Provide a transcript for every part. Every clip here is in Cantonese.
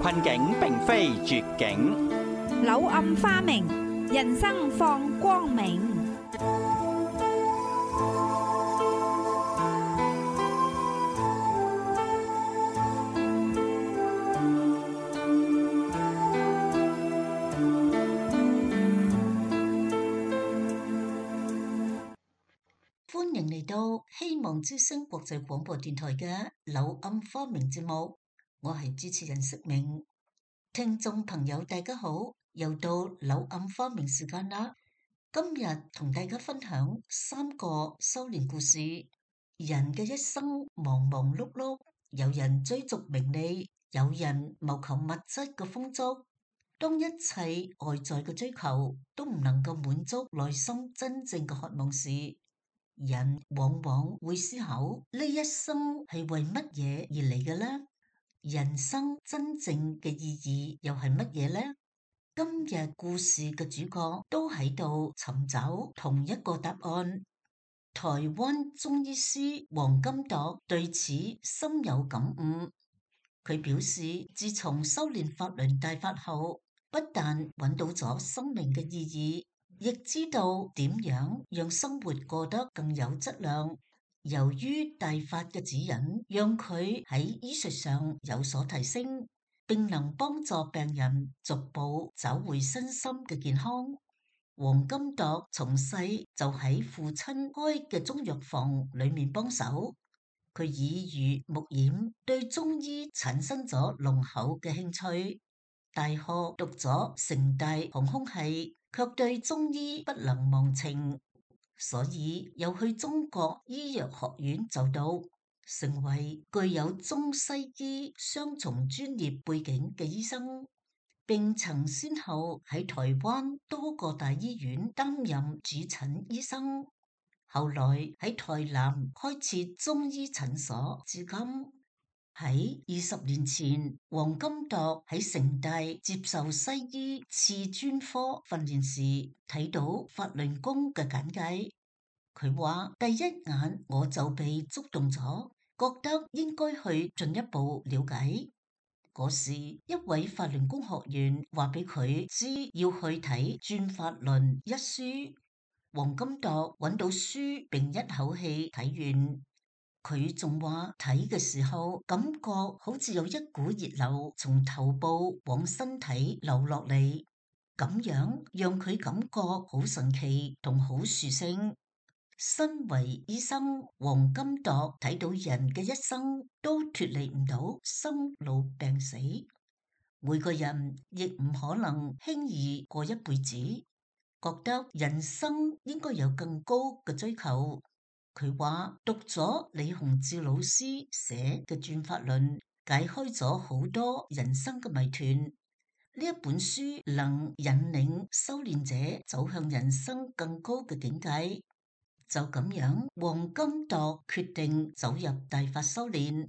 困境並非絕境，柳暗花明，人生放光明。歡迎嚟到希望之聲國際廣播電台嘅柳暗花明節目，我係主持人釋明。聽眾朋友大家好，又到柳暗花明時間啦。今日同大家分享3個修煉故事。人嘅一生忙忙碌碌，有人追逐名利，有人謀求物質嘅豐足。當一切外在嘅追求都唔能夠滿足內心真正嘅渴望時，人往往會思考呢一生係為乜嘢而嚟嘅呢？人生真正嘅意義又係乜嘢呢？今日故事嘅主角都喺度尋找同一個答案。台灣中醫師黃金鐸對此深有感悟。佢表示，自從修煉法輪大法後，不但揾到咗生命嘅意義，亦知道點樣讓生活過得更有質量。由於大法嘅指引，讓佢喺醫術上有所提升，並能幫助病人逐步找回身心嘅健康。黃金鐸從細就喺父親開嘅中藥房裏面幫手，佢耳濡目染，對中醫產生咗濃厚嘅興趣。大學讀咗成大航空系，卻對中醫不能忘情，所以又去中國醫藥學院就讀，成為具有中西醫雙重專業背景嘅醫生，並曾先後喺台灣多個大醫院擔任主診醫生，後來喺台南開設中醫診所，至今。喺20年前，黃金鐸喺成大接受西醫次專科訓練時，睇到法輪功嘅簡介。佢話第一眼我就被觸動咗，覺得應該去進一步了解。嗰時一位法輪功學員話俾佢知要去睇《轉法輪》一書，黃金鐸揾到書並一口氣睇完。佢仲話睇嘅時候感覺好似有一股熱流從頭部往身體流落嚟，咁樣讓佢感覺好神奇同好殊勝。身為醫生，黃金鐸睇到人嘅一生都脫離唔到生老病死，每個人亦唔可能輕易過一輩子，覺得人生應該有更高嘅追求。佢話讀咗李洪志老師寫嘅《轉法輪》，解開咗好多人生嘅謎團。呢一本書能引領修煉者走向人生更高嘅境界。就咁樣，黃金鐸決定走入大法修煉。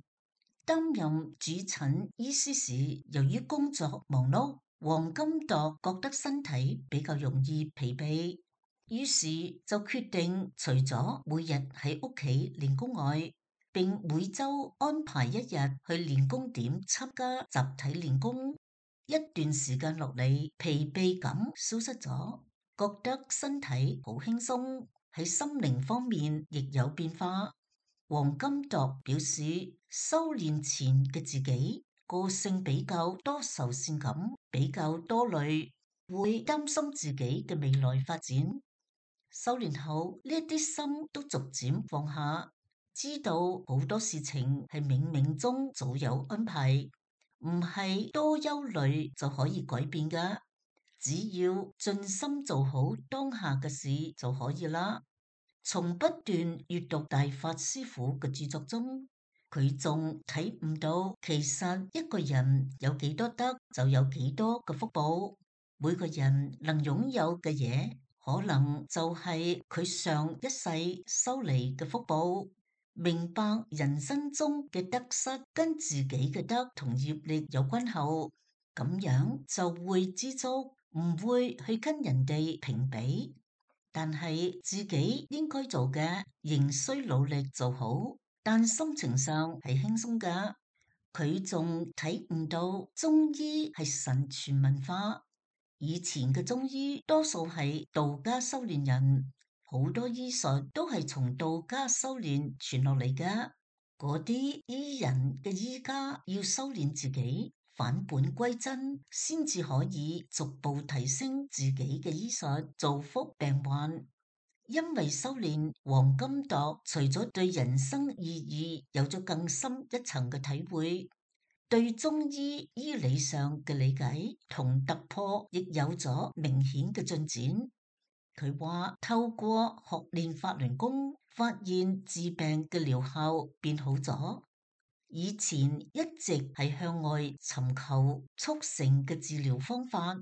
擔任主診醫師時，由於工作忙碌，黃金鐸覺得身體比較容易疲憊。於是就決定除咗每日喺屋企練功外，並每周安排一日去練功點參加集體練功。一段時間落嚟，疲憊感消失咗，覺得身體好輕鬆，喺心靈方面亦有變化。黃金鐸表示，修煉前嘅自己個性比較多愁善感，比較多慮，會擔心自己嘅未來發展。修煉後呢啲心都逐漸放下，知道好多事情係冥冥中早有安排，唔係多憂慮就可以改變噶，只要盡心做好當下嘅事就可以啦。從不斷閱讀大法師父嘅著作中，佢仲睇悟到，其實一個人有幾多得就有幾多嘅福報，每個人能擁有嘅嘢，可能就係佢上一世修嚟嘅福報。明白人生中嘅得失跟自己嘅德同業力有關後，咁樣就會知足，唔會去跟人哋評比。但係自己應該做嘅，仍需努力做好，但心情上係輕鬆㗎。佢仲體悟到中醫係神傳文化。以前嘅中醫多數係道家修煉人，好多醫術都係從道家修煉傳落嚟嘅。嗰啲醫人嘅醫家要修煉自己，返本歸真，先至可以逐步提升自己嘅醫術，造福病患。因為修煉黃金鐸，除咗對人生意義有咗更深一層嘅體會，對中醫醫理上嘅理解同突破亦有咗明顯嘅進展。佢話透過學練法輪功，發現治病嘅療效變好咗。以前一直係向外尋求速成嘅治療方法，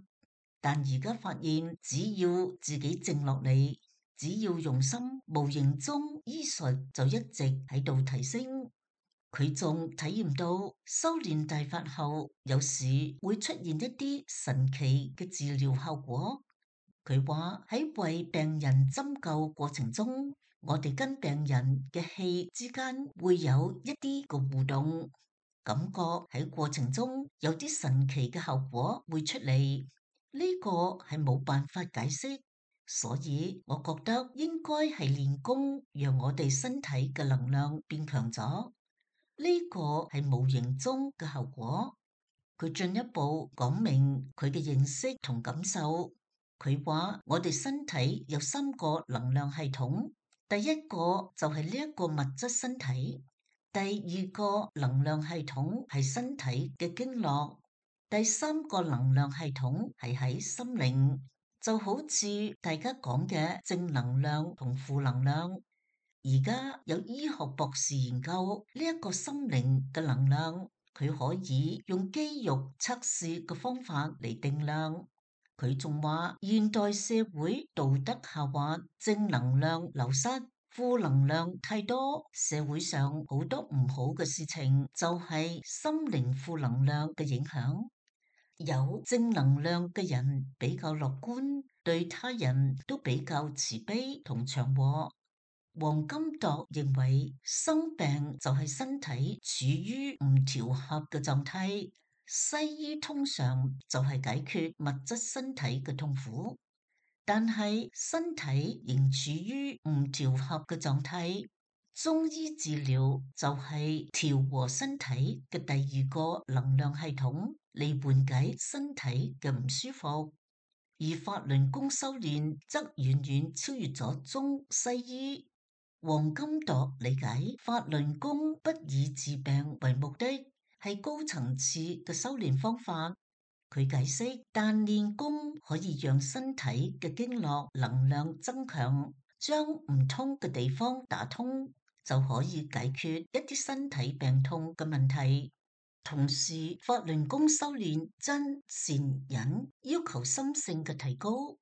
但而家發現只要自己靜落嚟，只要用心，無形中醫術就一直喺度提升。佢仲體驗到修煉大法後，有時會出現一啲神奇嘅治療效果。佢話喺為病人針灸過程中，我哋跟病人嘅氣之間會有一啲個互動，感覺喺過程中有啲神奇嘅效果會出嚟。呢個係冇辦法解釋，所以我覺得應該係練功，讓我哋身體嘅能量變強咗。呢個係無形中嘅效果。佢進一步講明佢嘅認識同感受。佢話我哋身體有3個能量系統，第一個就係呢一個物質身體，第2個能量系統係身體嘅經絡，第3個能量系統係喺心靈，就好似大家講嘅正能量同負能量。而家有醫學博士研究呢一個心靈嘅能量，佢可以用肌肉測試嘅方法嚟定量。佢仲話現代社會道德下滑，正能量流失，負能量太多，社會上好多唔好嘅事情就係心靈負能量嘅影響。有正能量嘅人比較樂觀，對他人都比較慈悲同祥和。黃金鐸認為生病就係身體處於唔調和嘅狀態，西醫通常就係解決物質身體嘅痛苦，但係身體仍處於唔調和嘅狀態，中醫治療就係調和身體嘅第2個能量系統嚟緩解身體嘅唔舒服，而法輪功修煉則遠遠超越咗中西醫。黃金鐸理解法輪功不以治病為目的，係高層次嘅修煉方法。佢解釋，但練功可以讓身體嘅經絡能量增強，將唔通嘅地方打通，就可以解決一啲身體病痛嘅問題。同時，法輪功修煉真善忍，要求心性嘅提高。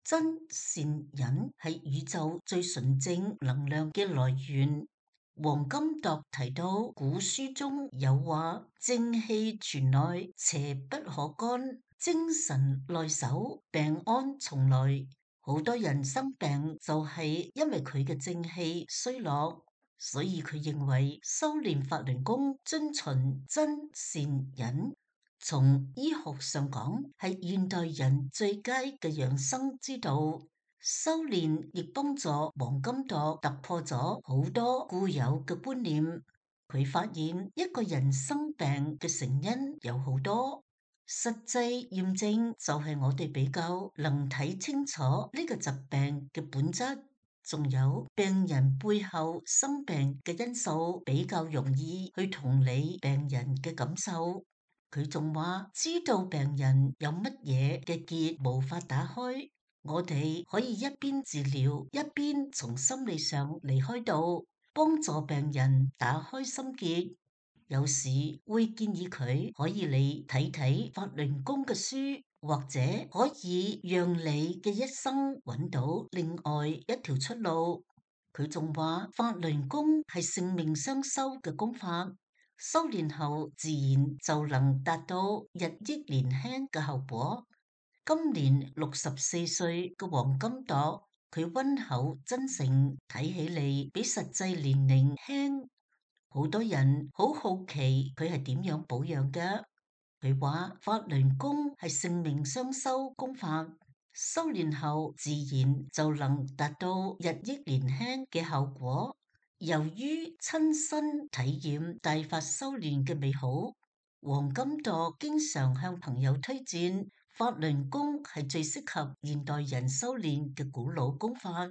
真善忍係宇宙最純正能量嘅來源。黃金鐸提到，古書中有話：正氣存內，邪不可干；精神內守，病安從來。好多人生病就係因為佢嘅正氣衰落，所以佢認為修煉法輪功遵循真善忍。從醫學上講，係現代人最佳嘅養生之道。修煉亦幫助黃金鐸突破咗好多固有嘅觀念。佢發現一個人生病嘅成因有好多，實際驗證就係我哋比較能睇清楚呢個疾病嘅本質，仲有病人背後生病嘅因素，比較容易去同理病人嘅感受。佢仲話知道病人有乜嘢嘅結無法打開，我哋可以一邊治療一邊從心理上離開度，幫助病人打開心結。有時會建議佢可以嚟睇睇法輪功嘅書，或者可以讓你嘅一生揾到另外一條出路。佢仲話法輪功係性命雙修嘅功法。修煉後自然就能達到日益年輕嘅效果。今年64歲嘅黃金鐸，佢溫厚真誠，睇起嚟比實際年齡輕。好多人好好奇佢係點樣保養嘅。佢話法輪功係性命雙修功法，修煉後自然就能達到日益年輕嘅效果。由於親身體驗大法修煉嘅美好，黃金鐸經常向朋友推薦法輪功係最適合現代人修煉嘅古老功法，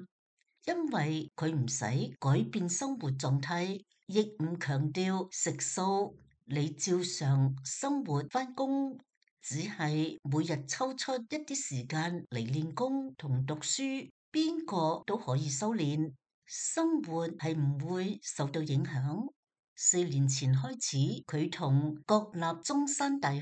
因為佢唔使改變生活狀態，亦唔強調食素，你照常生活返工，只係每日抽出一啲時間嚟練功同讀書，邊個都可以修煉，生活係唔會受到影響。4年前開始，佢同國立中山大學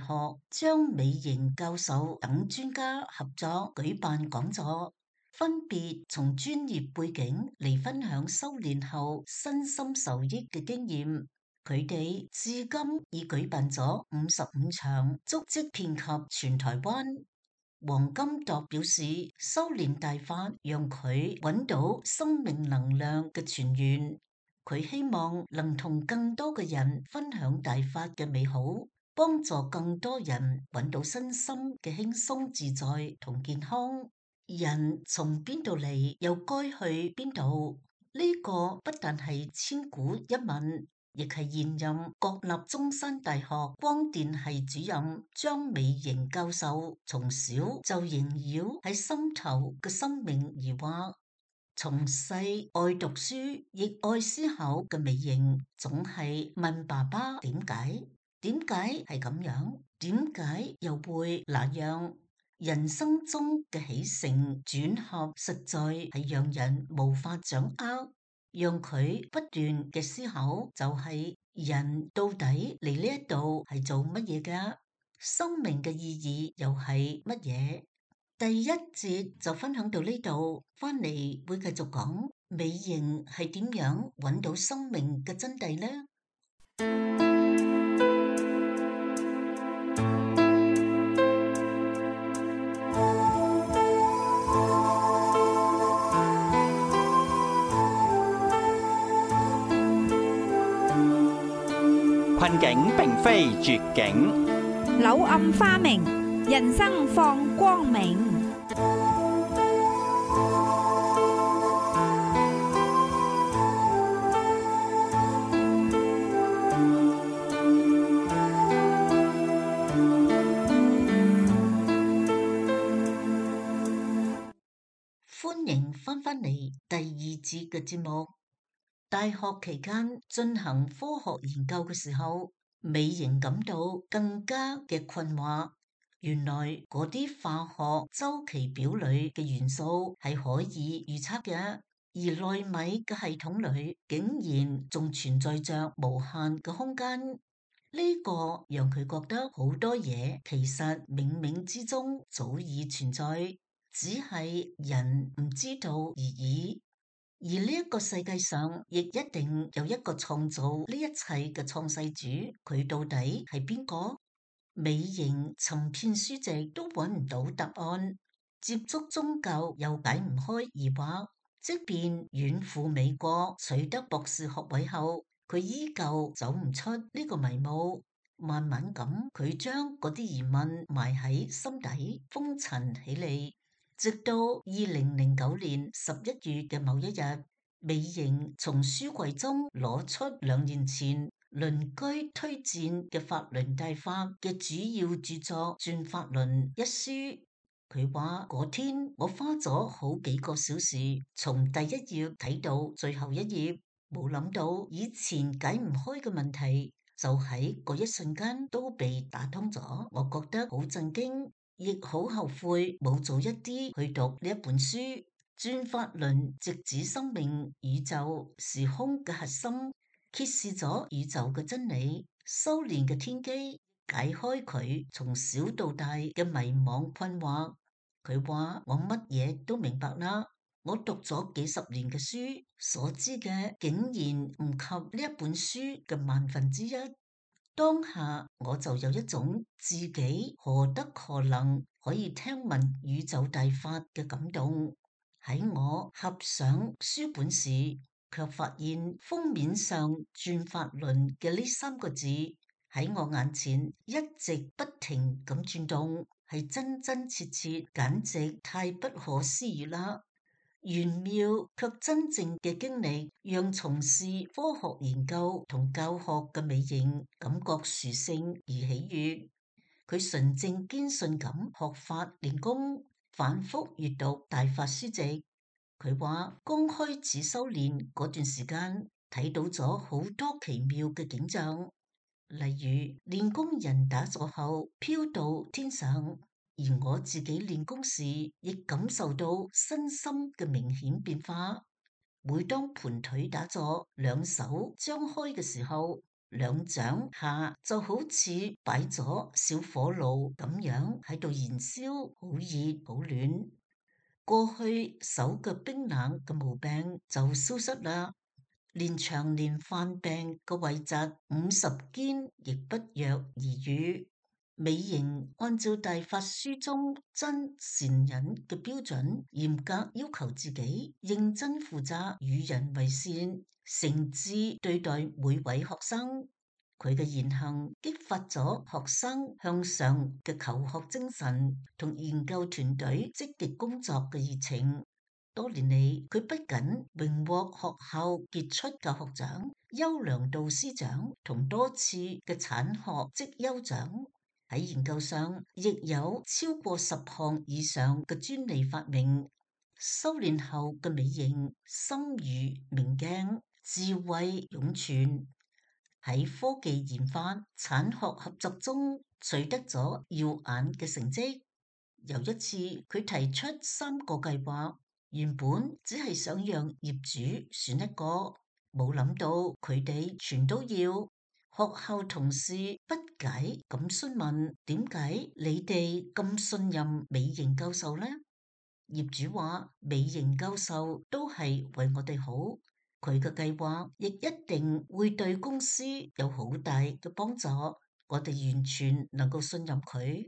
張美瑩教授等專家合作舉辦講座，分別從專業背景嚟分享修煉後身心受益嘅經驗。佢哋至今已舉辦咗55場，足跡遍及全台灣。黃金鐸表示，修煉大法讓佢揾到生命能量嘅泉源。佢希望能同更多嘅人分享大法嘅美好，幫助更多人揾到身心嘅輕鬆自在同健康。人從邊度嚟，又該去邊度？呢個不但係千古一問，亦係現任國立中山大學光電系主任張美瑩教授從小就縈繞喺心頭嘅生命疑惑。從細愛讀書亦愛思考嘅美瑩，總係問爸爸點解？點解係咁樣？點解又會那樣？人生中嘅起承轉合，實在係讓人無法掌握。讓佢不斷嘅思考，就係人到底嚟呢一度係做乜嘢㗎？生命嘅意義又係乜嘢？第一節就分享到呢度，翻嚟會繼續講美瑩係點樣揾到生命嘅真諦呢？困境並非絕境，柳暗花明，人生放光明。歡迎翻返嚟第二節嘅節目。大學期間進行科學研究嘅時候，美瑩感到更加嘅困惑。原來嗰啲化學周期表裏嘅元素係可以預測嘅，而奈米嘅系統裏竟然仲存在着無限嘅空間。呢個讓佢覺得好多嘢其實冥冥之中早已存在，只係人唔知道而已。而呢一個世界上，亦一定有一個創造呢一切嘅創世主，佢到底係邊個？美瑩尋遍書籍都揾唔到答案，接觸宗教又解唔開疑惑，即便遠赴美國取得博士學位後，佢依舊走唔出呢個迷霧。慢慢咁，佢將嗰啲疑問埋喺心底，封塵起嚟。直到2009年11月嘅某一日，美瑩從書櫃中攞出2年前鄰居推薦嘅法輪大法嘅主要著作《轉法輪》一書。佢話嗰天我花咗好幾個小時，從第一頁睇到最後一頁，冇諗到以前解唔開嘅問題，就喺嗰一瞬間都被打通咗。我覺得好震驚，亦好後悔冇早一啲去讀呢一本書。轉法輪直指生命、宇宙、時空嘅核心，揭示咗宇宙嘅真理、修煉嘅天機，解開佢從小到大嘅迷惘困惑。佢話我乜嘢都明白啦，我讀咗幾十年嘅書，所知嘅竟然唔及呢一本書嘅1/1000。當下我就有一種自己何德何能可以聽聞宇宙大法嘅感動。喺我合上書本時，卻發現封面上轉法輪嘅呢3個字喺我眼前一直不停咁轉動，係真真切切，簡直太不可思議啦！玄妙卻真正嘅經歷，讓從事科學研究同教學嘅美瑩感覺殊勝而喜悅。佢純正堅信咁學法練功，反覆閱讀大法書籍。佢話剛開始修煉嗰段時間，睇到咗好多奇妙嘅景象，例如練功人打坐後飄到天上。而我自己練功時，亦感受到身心嘅明顯變化。每當盤腿打坐，兩手張開嘅時候，兩掌下就好似擺咗小火爐咁樣喺度燃燒，好熱好暖。過去手腳冰冷嘅毛病就消失啦，連長年犯病嘅痿疾50肩亦不藥而愈。美瑩按照大法書中真善忍嘅標準，嚴格要求自己認真負責，與人為善，誠摯對待每位學生。佢嘅言行激發咗學生向上嘅求學精神同研究團隊積極工作嘅熱情。多年嚟，佢不僅榮獲學校傑出教學獎、優良導師獎同多次嘅產學績優獎，喺研究上亦有超過10項以上嘅專利發明。修煉後嘅美瑩心如明鏡，智慧湧泉，喺科技研發、產學合作中取得咗耀眼嘅成績。有一次，佢提出3個計劃，原本只係想讓業主選一個，冇諗到佢哋全都要。學校同事不解咁詢問：點解你哋咁信任美瑩教授呢？業主話：美瑩教授都係為我哋好，佢嘅計劃亦一定會對公司有好大嘅幫助，我哋完全能夠信任佢。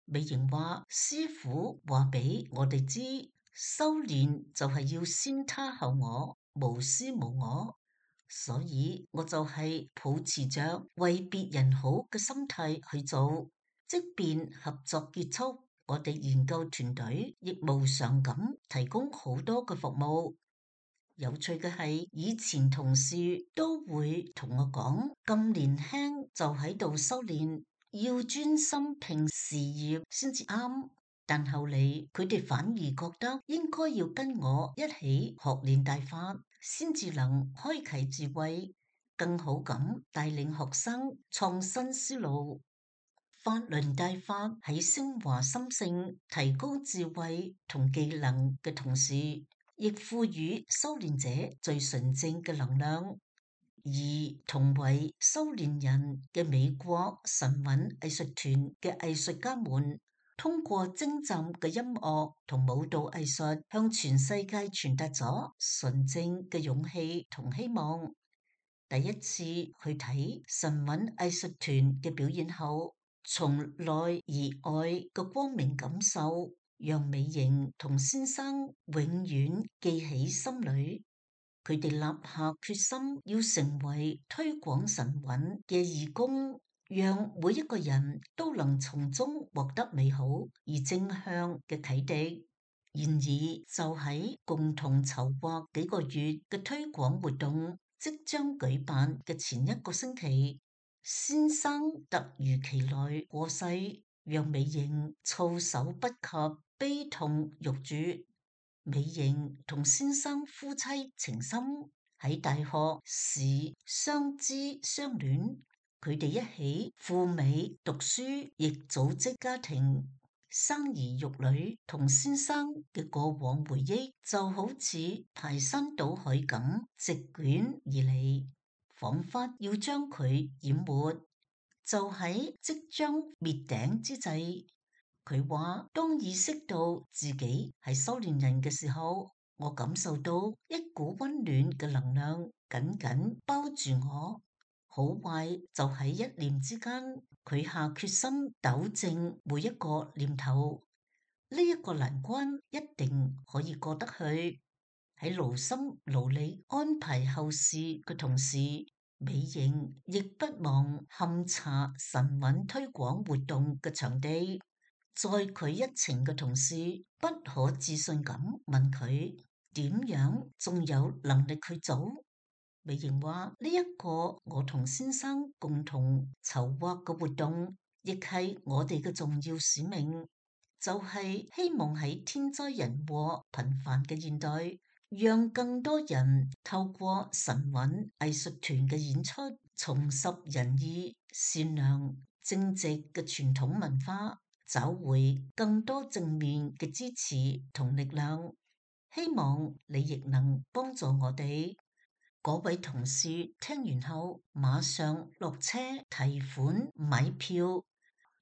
美瑩話：師傅話俾我哋知，修煉就係要先他後我，無私無我。所以我就係抱持着為別人好嘅心態去做，即便合作結束，我哋研究團隊亦無償咁提供好多嘅服務。有趣嘅係，以前同事都會同我講，咁年輕就喺度修煉，要專心拼事業先至啱。但後嚟佢哋反而覺得應該要跟我一起學練大法，先至能開啟智慧，更好咁帶領學生創新思路。法輪大法喺升華心性、提高智慧同技能嘅同時，亦賦予修煉者最純正嘅能量。而同為修煉人嘅美國神韻藝術團嘅藝術家們，通過精湛嘅音樂同舞蹈藝術，向全世界傳達咗純正嘅勇氣同希望。第一次去睇神韻藝術團嘅表演後，從內而外嘅光明感受，讓美瑩同先生永遠記喺心裏。佢哋立下決心，要成為推廣神韻嘅義工，讓每一個人都能從中獲得美好而正向嘅啟迪。然而，就喺共同籌劃幾個月嘅推廣活動即將舉辦嘅前一個星期，先生突如其來過世，讓美瑩措手不及，悲痛欲絕。美瑩同先生夫妻情深，喺大學時相知相戀，佢哋一起赴美讀書，亦組織家庭，生兒育女。同先生嘅過往回憶就好似排山倒海咁席捲而嚟，仿佛要將佢淹沒。就喺即將滅頂之際，佢話：當意識到自己係修煉人嘅時候，我感受到一股溫暖嘅能量緊緊包住我。好壞就喺一念之間，佢下決心糾正每一個念頭。呢一個難關一定可以過得去。喺勞心勞力安排後事嘅同時，美瑩亦不忘勘察神韻推廣活動嘅場地。載佢一程嘅同事不可置信咁問佢點樣仲有能力去做？美瑩話呢一個我同先生共同籌劃嘅活動，亦係我哋嘅重要使命，就係希望喺天災人禍頻繁嘅現代，讓更多人透過神韻藝術團嘅演出，重拾仁義、善良、正直嘅傳統文化，找回更多正面嘅支持同力量。希望你亦能幫助我哋。嗰位同事聽完後，馬上落車提款買票。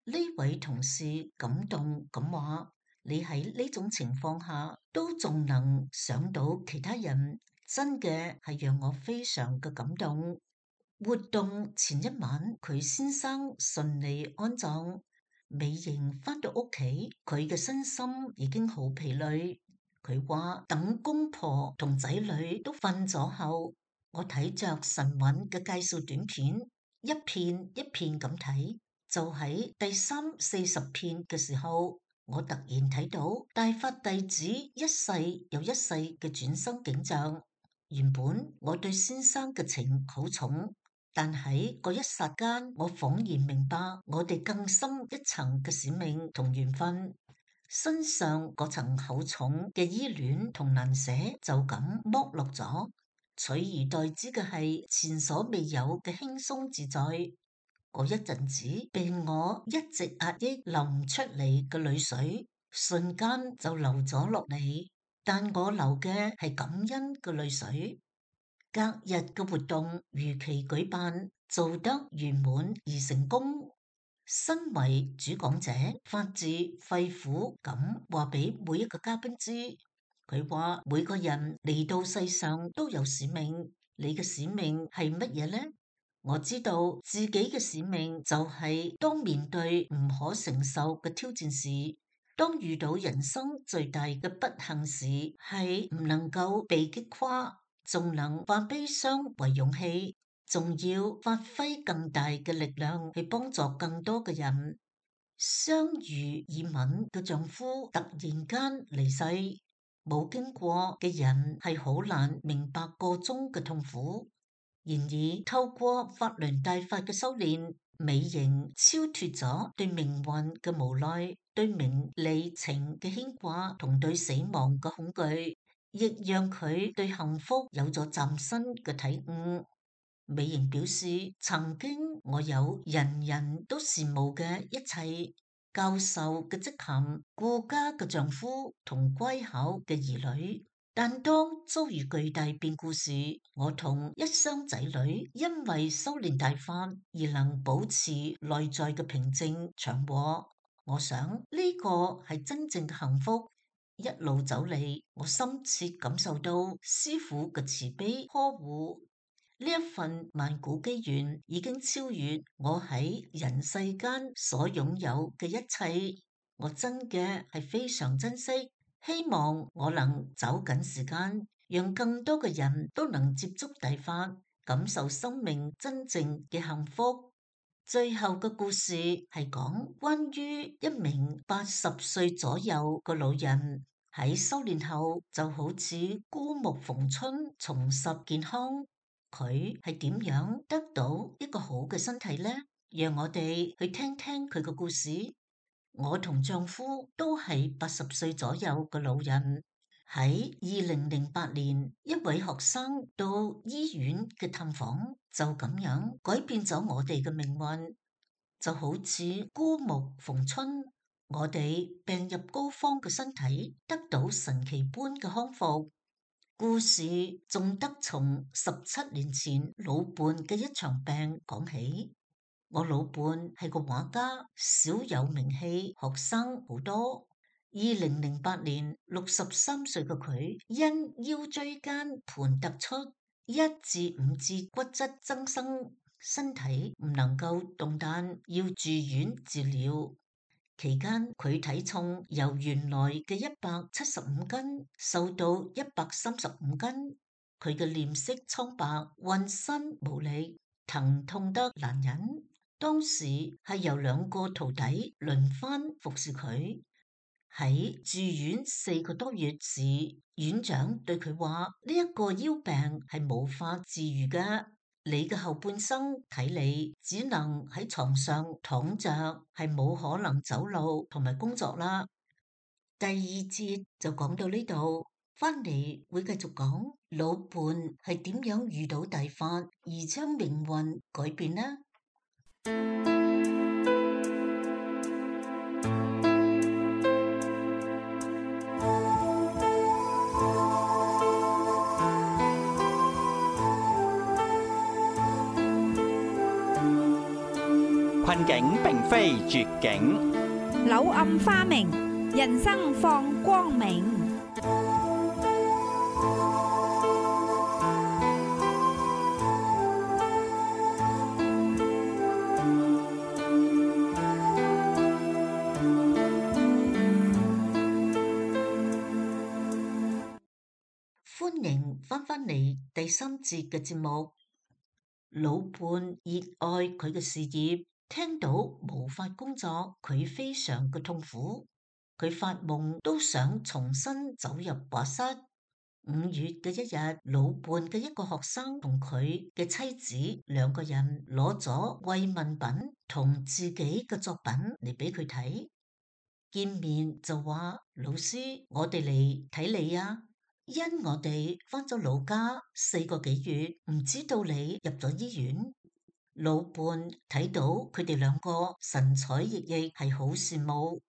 呢位同事感動咁話：你喺呢種情況下都仲能想到其他人，真嘅係讓我非常嘅感動。活動前一晚，佢先生順利安葬。美瑩返到屋企，佢嘅身心已經好疲累。佢話等公婆同仔女都瞓咗後，我睇着神韻嘅介紹短片，一片一片咁睇，就喺第30-40片嘅時候，我突然睇到大發弟子一世又一世嘅轉生景象。原本我對先生嘅情好重，但喺嗰一剎間，我恍然明白我哋更深一層嘅使命同緣分。身上嗰層厚重嘅依戀同難捨就咁剝落咗，取而代之嘅係前所未有嘅輕鬆自在。嗰一陣子，令我一直壓抑流唔出嚟嘅淚水，瞬間就流咗落嚟。但我流嘅係感恩嘅淚水。隔日嘅活動如期舉辦，做得圓滿而成功。身為主講者，發自肺腑咁話俾每一個嘉賓知，佢話每個人嚟到世上都有使命，你嘅使命係乜嘢呢？我知道自己嘅使命就係當面對唔可承受嘅挑戰時，當遇到人生最大嘅不幸時，係唔能夠被擊垮，仲能化悲傷為勇氣，仲要發揮更大嘅力量去幫助更多嘅人。相濡以敏嘅丈夫突然間離世，冇經過嘅人係好難明白個中嘅痛苦。然而透過法輪大法嘅修煉，美瑩超脫咗對命運嘅無奈、對名利情嘅牽掛同對死亡嘅恐懼，亦讓佢對幸福有咗嶄新嘅體悟。美瑩表示，曾經我有人人都羨慕嘅一切，教授嘅職銜、顧家嘅丈夫同乖巧嘅兒女，但當遭遇巨大變故時，我同一雙仔女因為修煉大法而能保持內在嘅平靜祥和。我想呢個係真正嘅幸福。一路走嚟，我深切感受到師父嘅慈悲呵護。呢一份萬古機緣已經超越我喺人世間所擁有嘅一切，我真嘅係非常珍惜。希望我能走緊時間，讓更多嘅人都能接觸大法，感受生命真正嘅幸福。最後嘅故事係講關於一名80歲左右嘅老人喺修煉後就好似枯木逢春，重拾健康。佢係點樣得到一個好嘅身體呢？讓我哋去聽聽佢嘅故事。我同丈夫都係80歲左右嘅老人。喺2008年，一位學生到醫院嘅探訪，就咁樣改變咗我哋嘅命運，就好似枯木逢春。我哋病入膏肓嘅身體得到神奇般嘅康復。故事仲得從17年前老伴嘅一場病講起。我老伴係個畫家，小有名氣，學生好多。2008年63歲嘅佢因腰椎間盤突出1至5節骨質增生，身體唔能夠動彈，要住院治療。期間佢體重由原來嘅175斤瘦到135斤，佢嘅臉色蒼白，渾身無力，疼痛得難忍。當時係由2個徒弟輪番服侍佢。喺住院4個多月時，院長對佢話：呢一個腰病係無法治愈嘅，你嘅後半生睇嚟只能喺床上躺着，係冇可能走路同埋工作啦。第2節就講到呢度，翻嚟會繼續講老伴係點樣遇到大法而將命運改變呢？困境並非絕境，柳暗花明，人生放光明。歡迎翻嚟第3節嘅節目。老伴熱愛佢嘅事業，聽到無法工作，佢非常嘅痛苦。佢發夢都想重新走入畫室。5月嘅一日，老伴嘅一個學生同佢嘅妻子2個人攞咗慰問品同自己嘅作品嚟俾佢睇。見面就話：老師，我哋嚟睇你啊！因我哋返咗老家4個幾月，唔知道你入咗醫院。老伴睇到佢哋2個神采奕奕，係好羨慕。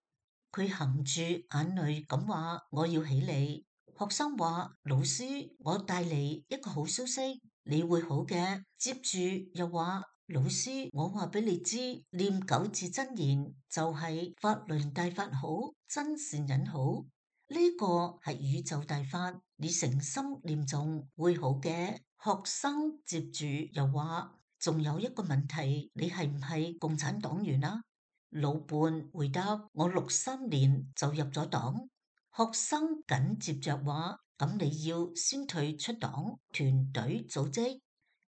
佢含住眼淚咁話：我要起嚟。學生話：老師，我帶嚟一個好消息，你會好嘅。接住又話：老師，我話俾你知，念9字真言就係法輪大法好，真善忍好。呢個係宇宙大法，你誠心念誦會好嘅。學生接住又話：仲有一個問題，你係唔係共產黨員啊？老伴回答：我63年就入咗黨。學生緊接着話：咁你要先退出黨團隊組織。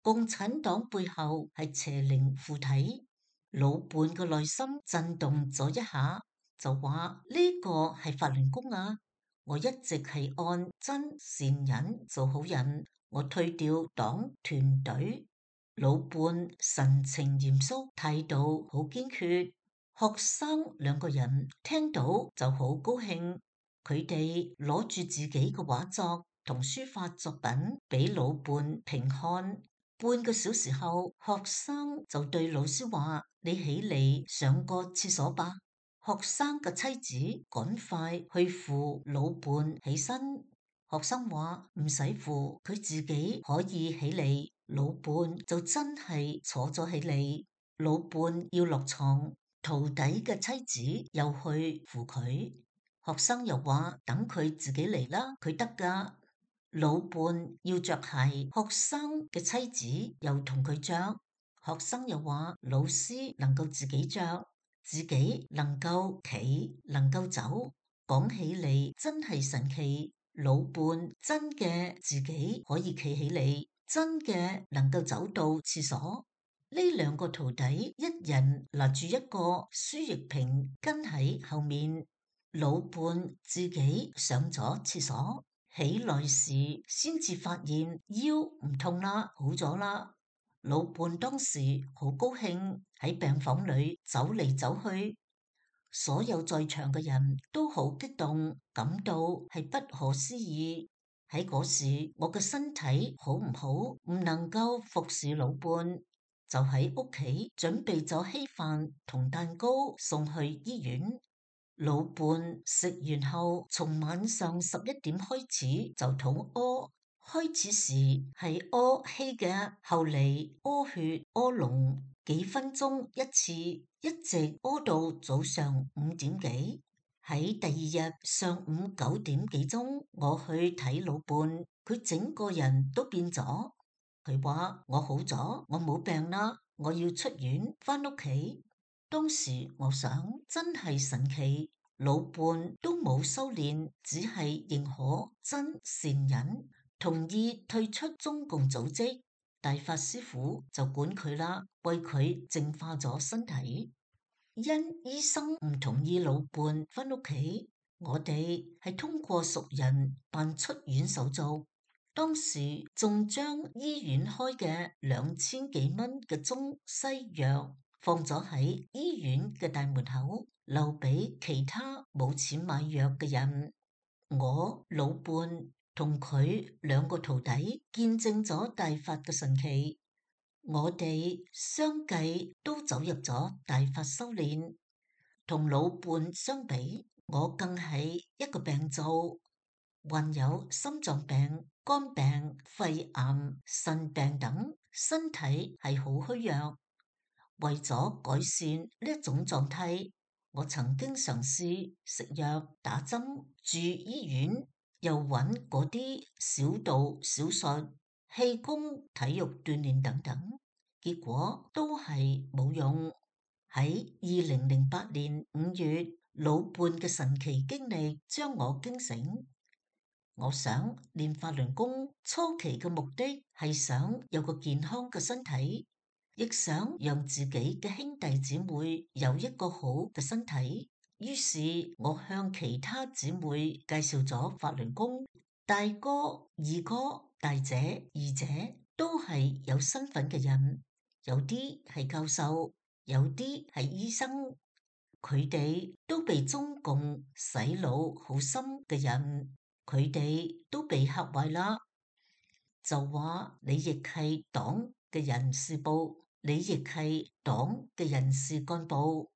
共產黨背後係邪靈附體。老伴嘅內心震動咗一下，就話：呢個係法輪功啊！我一直係按真善忍做好人，我退掉黨團隊。老伴神情嚴肅，態度好堅決。學生2個人聽到就好高興，佢哋攞住自己嘅畫作同書法作品俾老伴評看。半個小時後，學生就對老師話：你起嚟上個廁所吧。學生嘅妻子趕快去扶老伴起身。學生話唔使扶，佢自己可以起嚟。老伴就真係坐咗起嚟。老伴要落床，徒弟嘅妻子又去扶佢。學生又話等佢自己嚟啦，佢得㗎。老伴要着鞋，學生嘅妻子又同佢着。學生又話老師能夠自己着，自己能夠企，能夠走，講起嚟真係神奇。老伴真嘅自己可以企起嚟，真嘅能夠走到廁所。呢2個徒弟一人拿住一個輸液瓶跟喺後面。老伴自己上咗廁所，起來時先至發現腰唔痛啦，好咗啦。老伴當時好高興，喺病房裏走嚟走去，所有在場嘅人都好激動，感到係不可思議。喺嗰時，我嘅身體好唔好，唔能夠服侍老伴，就喺屋企準備咗稀飯同蛋糕送去醫院。老伴食完後，從晚上11點開始就肚屙。開始時係屙稀嘅，後嚟屙血屙膿，幾分鐘一次，一直屙到早上5點幾。喺第2日上午9點幾鐘，我去睇老伴，佢整個人都變咗。佢話我好咗，我冇病啦，我要出院返屋企。當時我想真係神奇，老伴都冇修煉，只係認可真善忍，同意退出中共組織。大法師父就管佢啦，為佢淨化咗身體。因醫生唔同意老伴返屋企，我哋係通過熟人辦出院手續。當時仲將醫院開嘅2000幾蚊嘅中西藥放咗喺醫院嘅大門口，留俾其他冇錢買藥嘅人。我老伴同佢2個徒弟見證咗大法嘅神奇，我哋相繼都走入咗大法修煉。同老伴相比，我更係一個病灶，患有心臟病、肝病、肺癌、腎病等，身體係好虛弱。為咗改善呢一種狀態，我曾經嘗試食藥、打針、住醫院，又揾嗰啲小道小術、氣功、體育鍛煉等等，結果都係冇用。喺2008年5月，老伴嘅神奇經歷將我驚醒。我想練法輪功初期嘅目的係想有個健康嘅身體，亦想讓自己嘅兄弟姊妹有一個好嘅身體。於是我向其他姊妹介紹咗法輪功。大哥、二哥、大姐、二姐都係有身份嘅人，有啲係教授，有啲係醫生，佢哋都被中共洗腦好深嘅人，佢哋都被嚇壞啦，就話你亦係黨嘅人事部，你亦係黨嘅人事幹部，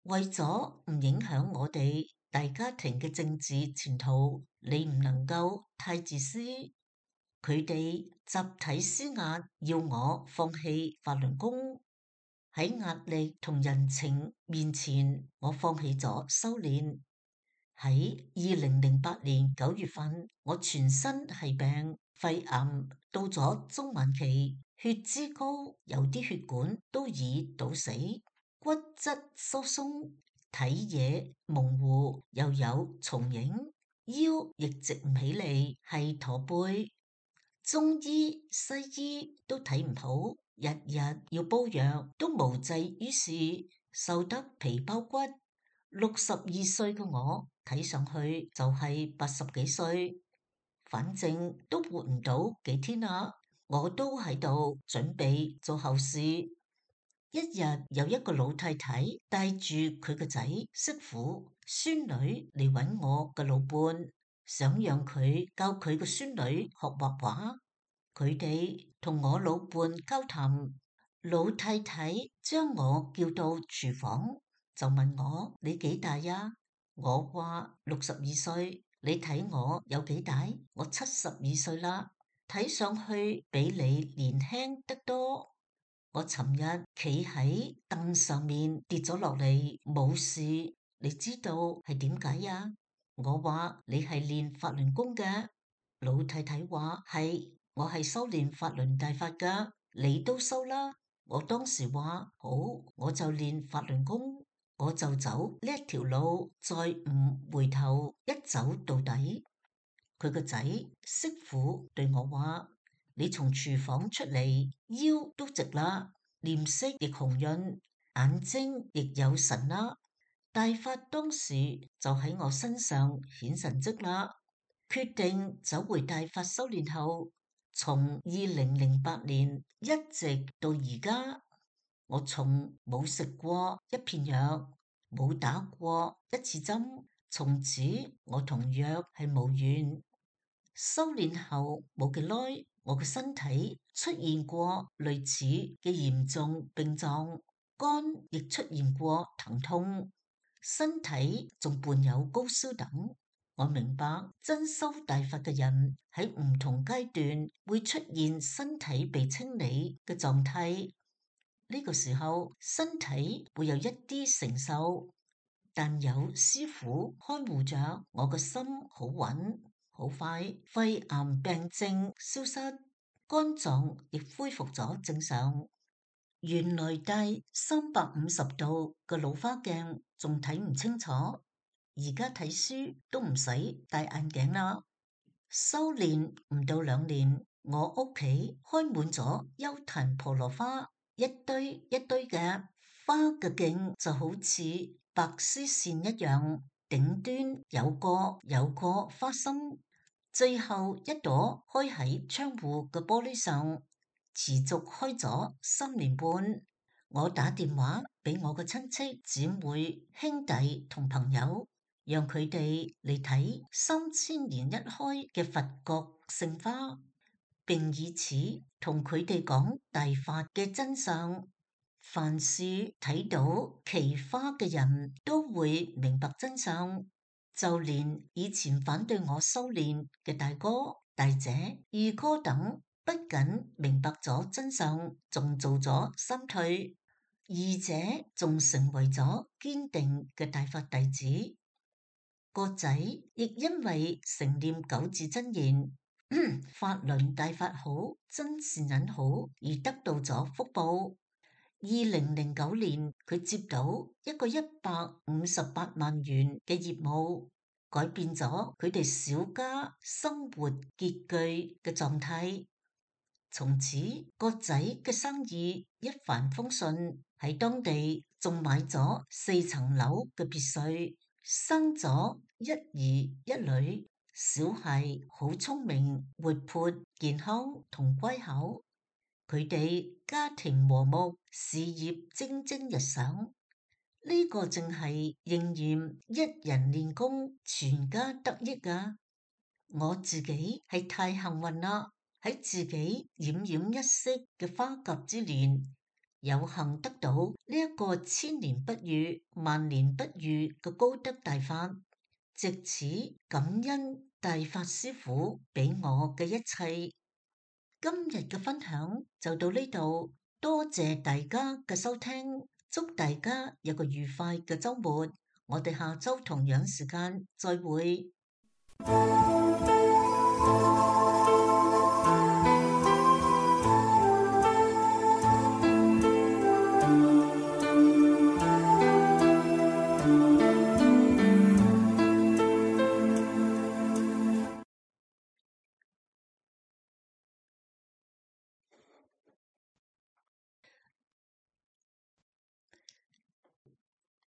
為咗唔影響我哋大家庭嘅政治前途，你唔能夠太自私。佢哋集體施壓，要我放棄法輪功。喺壓力同人情面前，我放棄咗修煉。喺2008年9月份，我全身係病，肺癌到咗中晚期，血脂高，有啲血管都已堵死，骨質疏鬆，睇嘢模糊，又有重影，腰亦直唔起嚟，係駝背。中醫西醫都睇唔好，日日要煲藥都無濟於事，瘦得皮包骨。62歲嘅我睇上去就係80幾歲，反正都活唔到幾天啦。我都喺度準備做後事。一日有一個老太太帶住佢個仔、媳婦、孫女嚟揾我嘅老伴，想讓佢教佢個孫女學畫畫。佢哋同我老伴交談，老太太將我叫到廚房，就問我：你幾大呀？我話62歲。你睇我有幾大？我72歲啦，睇上去比你年輕得多。我尋日企喺凳上面跌咗落嚟，冇事。你知道係點解呀？我話你係練法輪功嘅。老太太話係，我係修練法輪大法噶，你都修啦。我當時話好，我就練法輪功，我就走呢一條路，再唔回頭，一走到底。佢個仔媳婦對我話：你從廚房出嚟，腰都直啦，臉色亦紅潤，眼睛亦有神啦。大法當時就喺我身上顯神跡啦。決定走回大法修煉後，從2008年一直到而家，我從冇食過一片藥，冇打過一次針，從此我同藥係無緣。修煉後冇幾耐，我嘅身體出現過類似嘅嚴重病狀，肝亦出現過疼痛，身體仲伴有高燒等。我明白真修大法嘅人喺唔同階段會出現身體被清理嘅狀態，呢個時候身體會有一啲承受，但有師傅看護着，我個心好穩，好快肺癌病症消失，肝臟亦恢復咗正常。原來戴350度嘅老花鏡仲睇唔清楚，而家睇書都唔使戴眼鏡啦。修煉唔到2年，我屋企開滿咗優壇婆羅花，一堆一堆嘅花嘅莖就好似白絲線一樣，頂端有個花心，最後一朵開喺窗戶嘅玻璃上，持續開咗3年半。我打電話俾我嘅親戚、姊妹、兄弟同朋友，讓佢哋嚟睇3000年一開嘅佛國聖花，並以此同佢哋講大法嘅真相。凡是睇到奇花嘅人都會明白真相，就連以前反對我修煉嘅大哥、大姐、二哥等，不僅明白咗真相，仲做咗三退。二者仲成為咗堅定嘅大法弟子，個仔亦因為承念9字真言，法輪大法好，真善忍好，而得到咗福報。2009年，佢接到一個158萬元嘅業務，改變咗佢哋小家生活拮據嘅狀態。從此個仔嘅生意一帆風順，喺當地仲買咗4層樓嘅別墅，生咗1兒1女，小孩好聰明、活潑、健康同乖巧，佢哋家庭和睦，事業蒸蒸日上。呢個正係應驗一人練功，全家得益啊！我自己係太幸運啦，喺自己奄奄一息嘅花甲之年，有幸得到呢一個千年不遇、萬年不遇嘅高德大法，藉此感恩大法師父俾我嘅一切。今日嘅分享就到呢度，多謝大家嘅收聽，祝大家有個愉快嘅週末，我哋下週同樣時間再會。